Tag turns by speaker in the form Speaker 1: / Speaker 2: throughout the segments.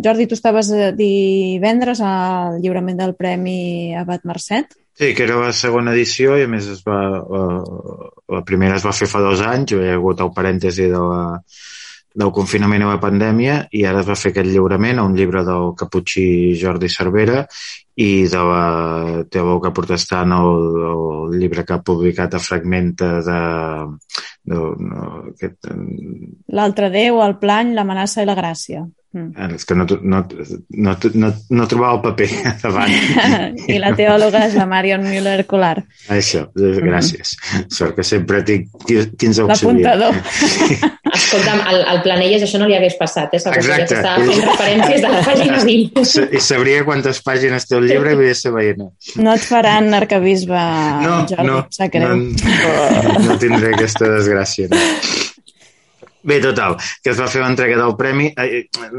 Speaker 1: Jordi, tu estaves divendres al lliurament del Premi Abat Marcet?
Speaker 2: Sí, que era la segona edició i a més la primera es va fer fa 2 anys, hi ha hagut el parèntesi del confinament i la pandèmia i ara es va fer aquest lliurament a un llibre del caputxí Jordi Cervera i de la teòloga protestant el llibre que ha publicat a Fragmenta
Speaker 1: L'altre Déu, el plany, l'amenaça i la gràcia.
Speaker 2: És que no trobava el paper davant.
Speaker 1: I la teòloga és la Marion Müller-Colar.
Speaker 2: Això, gràcies. Sort que sempre tinc 15 auxiliars.
Speaker 1: L'apuntador.
Speaker 3: Escolta'm, al Planelles això no li hagués passat,
Speaker 2: Exacte.
Speaker 3: Que estava fent referències de la pàgina 20.
Speaker 2: I sabria quantes pàgines té el llibre i volia ser veient.
Speaker 1: No et faran arquebisbe, Jordi, sap greu.
Speaker 2: No tindré aquesta desgràcia. No. Bé, total, que es va fer l'entrega del premi.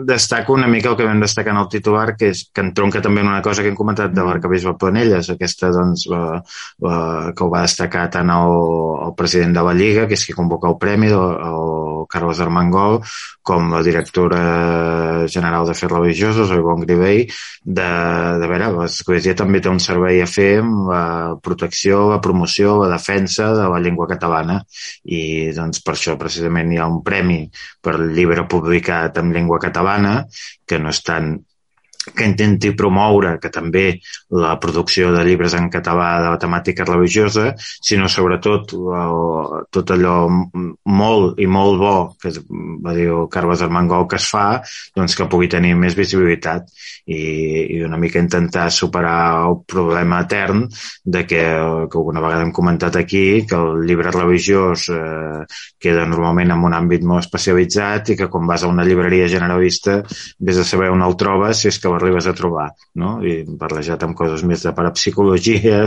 Speaker 2: Destaco una mica el que vam destacar en el titular, que entronca també en una cosa que hem comentat de l'arquebisbe Planelles, aquesta doncs, que ho va destacar tant el president de la Lliga, que és qui convoca el premi, el Carles Armengol, com la directora general d'Afers Religiosos, el Ivonne Grivell, de veure, l'Església també té un servei a fer amb la protecció, la promoció, la defensa de la llengua catalana i doncs per això precisament hi ha un premi per llibre publicat en llengua catalana que no és tant que intenti promoure que també la producció de llibres en català de la temàtica religiosa, sinó sobretot tot allò molt i molt bo que va dir el Carles Armengol que es fa, doncs que pugui tenir més visibilitat i una mica intentar superar el problema etern de que alguna vegada hem comentat aquí, que el llibre religiós queda normalment en un àmbit molt especialitzat i que quan vas a una llibreria generalista vés a saber on el trobes si és que arribes a trobar, no? I hem parlejat amb coses més de parapsicologia,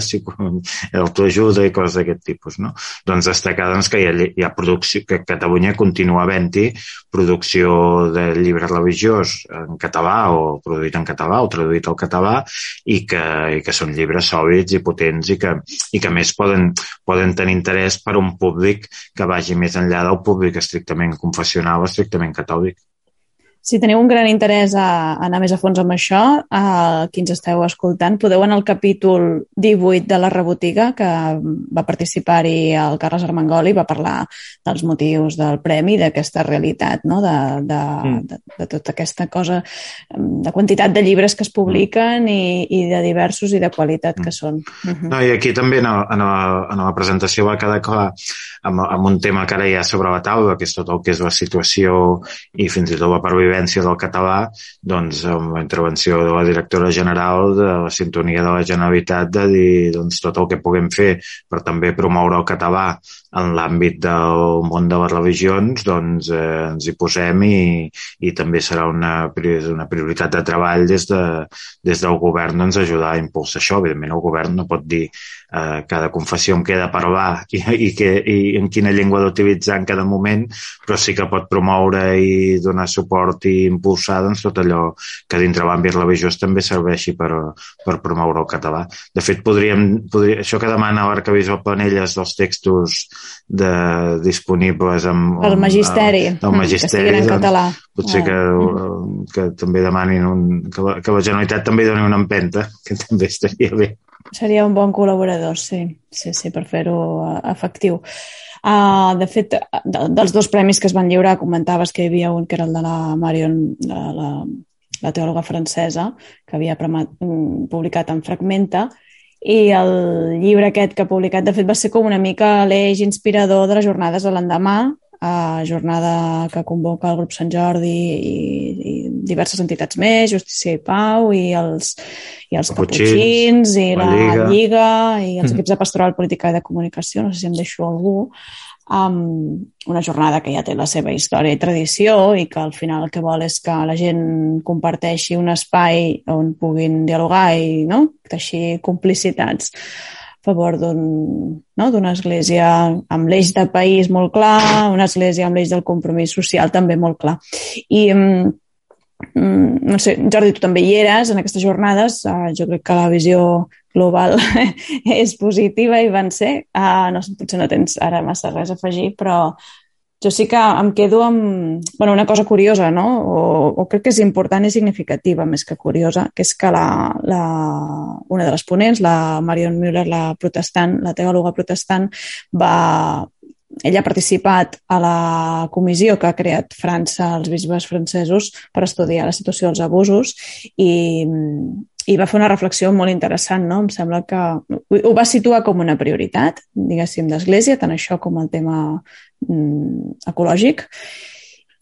Speaker 2: autoajuda i coses d'aquest tipus, no? Doncs destacar doncs, que hi ha producció, que Catalunya continua havent-hi producció de llibre religiós en català o produït en català o traduït al català i que són llibres sòlids i potents i que a més poden tenir interès per un públic que vagi més enllà del públic estrictament confessional o estrictament catòlic.
Speaker 1: Si teniu un gran interès a anar més a fons amb això, qui ens esteu escoltant, podeu anar al capítol 18 de la Rebotiga, que va participar-hi el Carles Armengol i va parlar dels motius del premi, d'aquesta realitat, no? de tota aquesta cosa, de quantitat de llibres que es publiquen i de diversos i de qualitat que són.
Speaker 2: No, i aquí també en la presentació va quedar clar amb un tema que ara hi ha sobre la taula, que és tot el que és la situació i fins i tot la pervivència del català, doncs amb la intervenció de la directora general de la sintonia de la Generalitat de dir doncs, tot el que puguem fer per també promoure el català en l'àmbit del món de les religions, doncs ens hi posem i també serà una prioritat de treball des del govern doncs, ajudar a impulsar això. Evidentment el govern no pot dir cada confessió em queda parlar i en quina llengua d'utilitzar en cada moment, però sí que pot promoure i donar suport i impulsar doncs, tot allò que dintre l'àmbit religiós també serveixi per promoure el català. De fet, això que demana l'arquebisbe Planelles dels textos disponibles amb
Speaker 1: el magisteri,
Speaker 2: que
Speaker 1: estiguin en català.
Speaker 2: Potser que també demanin que la Generalitat també doni una empenta, que també estaria bé.
Speaker 1: Seria un bon col·laborador, sí, per fer-ho efectiu. De fet, dels 2 premis que es van lliurar, comentaves que hi havia un que era el de la Marion, la teòloga francesa, que havia publicat en Fragmenta, i el llibre aquest que ha publicat, de fet, va ser com una mica l'eix inspirador de les jornades de l'endemà, jornada que convoca el grup Sant Jordi i diverses entitats més, Justícia i Pau i els caputxins i la Lliga i els equips de pastoral, política i de comunicació, no sé si em deixo algú, una jornada que ja té la seva història i tradició i que al final el que vol és que la gent comparteixi un espai on puguin dialogar i teixir complicitats a favor d'una església amb l'eix de país molt clar, una església amb l'eix del compromís social també molt clar. I no sé, Jordi, tu també hi eres en aquestes jornades, jo crec que la visió global és positiva i van ser, potser no tens ara massa res a afegir, però Jo sí que em quedo amb una cosa curiosa, no? O crec que és important i significativa, més que curiosa, que és que una de les ponents, la Marion Müller, la protestant, la teòloga protestant, ella ha participat a la comissió que ha creat França, els bisbes francesos, per estudiar la situació dels abusos i va fer una reflexió molt interessant, no? Em sembla que ho va situar com una prioritat, diguéssim, d'Església, tant això com el tema ecològic.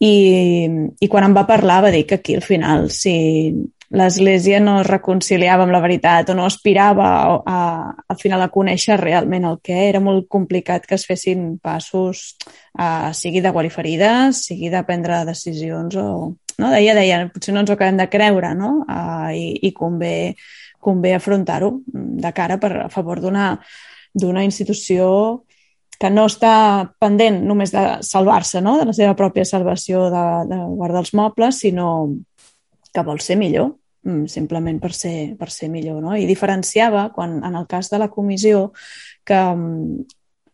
Speaker 1: I quan em va parlar va dir que aquí al final, si l'Església no es reconciliava amb la veritat o no aspirava al final a conèixer realment el que era molt complicat que es fessin passos, sigui de guarir ferides, sigui de prendre decisions o... No? Deia, potser no ens ho acabem de creure, no? I convé afrontar-ho de cara a favor d'una institució que no està pendent només de salvar-se, no? De la seva pròpia salvació de guardar els mobles, sinó que vol ser millor, simplement per ser millor. No? I diferenciava, en el cas de la comissió, que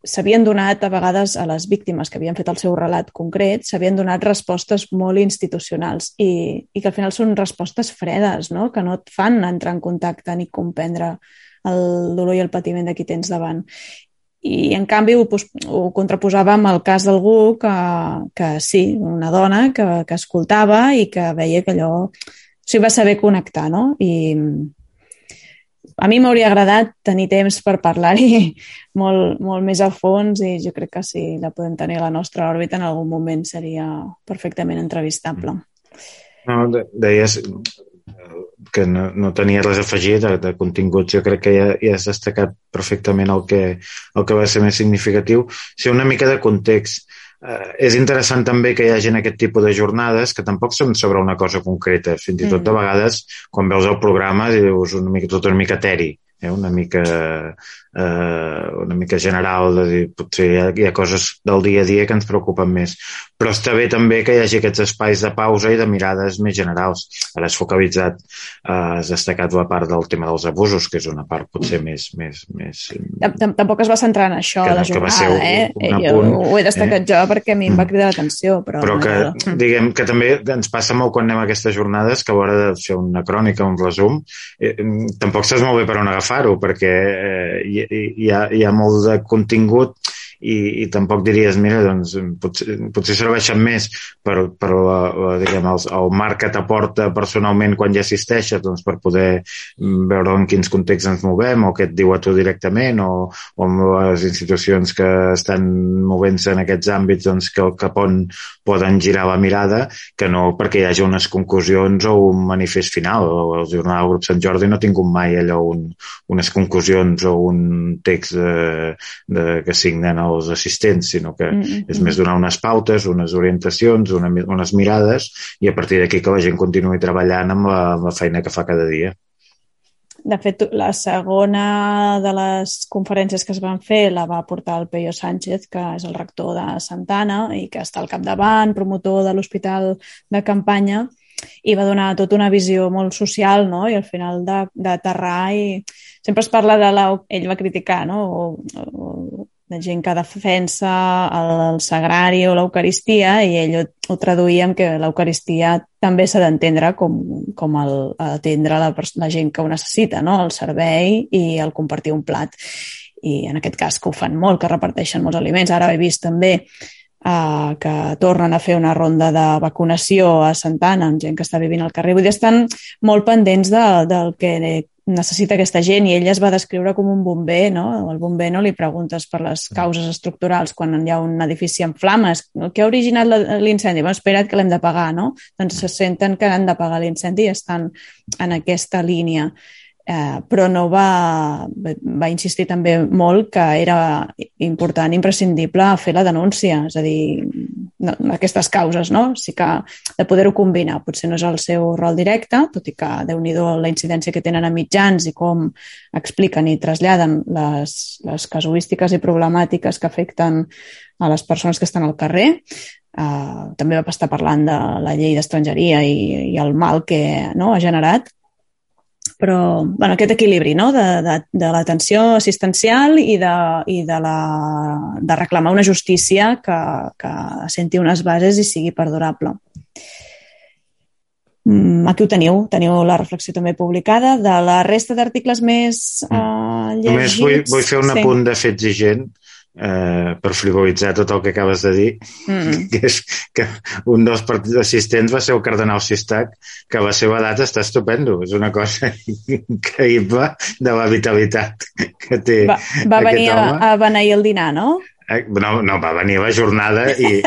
Speaker 1: s'havien donat a vegades a les víctimes que havien fet el seu relat concret, s'havien donat respostes molt institucionals i que al final són respostes fredes, no? Que no et fan entrar en contacte ni comprendre el dolor i el patiment de qui tens davant. I en canvi ho contraposava amb el cas d'algú que sí, una dona que escoltava i que veia que allò... O sigui, va saber connectar, no? I a mi m'hauria agradat tenir temps per parlar-hi molt, molt més a fons i jo crec que si la podem tenir a la nostra òrbita en algun moment seria perfectament entrevistable.
Speaker 2: No, deies que no tenia res a afegir de continguts. Jo crec que ja has destacat perfectament el que va ser més significatiu. Sí, una mica de context. És interessant també que hi hagi aquest tipus de jornades que tampoc són sobre una cosa concreta. Fins i tot de vegades, quan veus el programa, dius tot una mica eteri, una mica general, de dir, potser hi ha coses del dia a dia que ens preocupen més. Però està bé també que hi hagi aquests espais de pausa i de mirades més generals. Ara has focalitzat, has destacat la part del tema dels abusos, que és una part potser més...
Speaker 1: Tampoc es va centrar en això a la jornada, ho he destacat jo perquè a mi em va cridar l'atenció.
Speaker 2: Però que, diguem, que també ens passa molt quan anem a aquestes jornades que a l'hora de fer una crònica, un resum, tampoc saps molt bé per on agafar-ho, perquè hi ha molt de contingut i tampoc diries, mira, doncs potser serveixen més per diguem, el marc que t'aporta personalment quan ja assisteixes, doncs per poder veure en quins contexts ens movem o què et diu a tu directament o amb les institucions que estan movent-se en aquests àmbits, doncs cap on poden girar la mirada, que no perquè hi hagi unes conclusions o un manifest final. El Jornal del Grup Sant Jordi no ha tingut mai allò unes conclusions o un text que signen els assistents, sinó que és més donar unes pautes, unes orientacions, unes mirades i a partir d'aquí que la gent continuï treballant amb la feina que fa cada dia.
Speaker 1: De fet, la segona de les conferències que es van fer la va portar el Peyo Sánchez, que és el rector de Santa Anna i que està al capdavant, promotor de l'hospital de campanya, i va donar tota una visió molt social, no? I al final d'aterrar i sempre es parla ell va criticar, no? O de gent que defensa el sagrari o l'Eucaristia i ell ho traduïa en que l'Eucaristia també s'ha d'entendre com atendre la gent que ho necessita, no? El servei i el compartir un plat. I en aquest cas que ho fan molt, que reparteixen molts aliments. Ara he vist també que tornen a fer una ronda de vacunació a Santa Anna amb gent que està vivint al carrer. Vull dir, estan molt pendents del que necessita aquesta gent i ella es va descriure com un bomber, no? El bomber no li preguntes per les causes estructurals quan hi ha un edifici en flames. Què ha originat l'incendi? Bueno, espera't que l'hem de pagar, no? Doncs se senten que han de pagar l'incendi i estan en aquesta línia. Però no va insistir també molt que era important, imprescindible fer la denúncia, és a dir, aquestes causes, no? Sí que de poder-ho combinar, potser no és el seu rol directe, tot i que Déu-n'hi-do la incidència que tenen a mitjans i com expliquen i traslladen les casuístiques i problemàtiques que afecten a les persones que estan al carrer. També va estar parlant de la llei d'estrangeria i el mal que ha generat. Però, bueno, aquest equilibri, no?, de l'atenció assistencial i de reclamar una justícia que assenti unes bases i sigui perdurable. Aquí ho teniu la reflexió també publicada. De la resta d'articles més llegits...
Speaker 2: Només vull fer un apunt de fet exigent per frivolitzar tot el que acabes de dir, que és que un dels assistents va ser el cardenal Sistac, que a la seva edat està estupendo. És una cosa increïble de la vitalitat que té aquest home.
Speaker 1: Va venir a beneir el dinar, no?
Speaker 2: No, va venir a la jornada i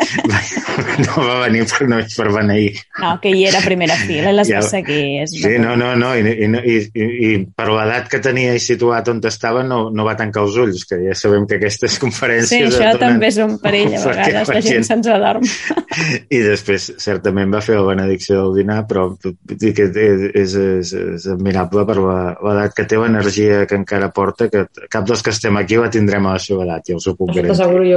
Speaker 2: no va venir només per beneir.
Speaker 1: No, que hi era a primera fila i les va seguir.
Speaker 2: Sí, no. I per l'edat que tenia i situat on estava no va tancar els ulls, que ja sabem que aquestes conferències...
Speaker 1: Sí, això també és un perill, a vegades la gent se'ns adorm.
Speaker 2: I després, certament, va fer la benedicció del dinar, però dic que és admirable per l'edat que té, l'energia que encara porta, que cap dels que estem aquí la tindrem a la seva edat, ja us ho puc garantir.
Speaker 3: T'asseguro jo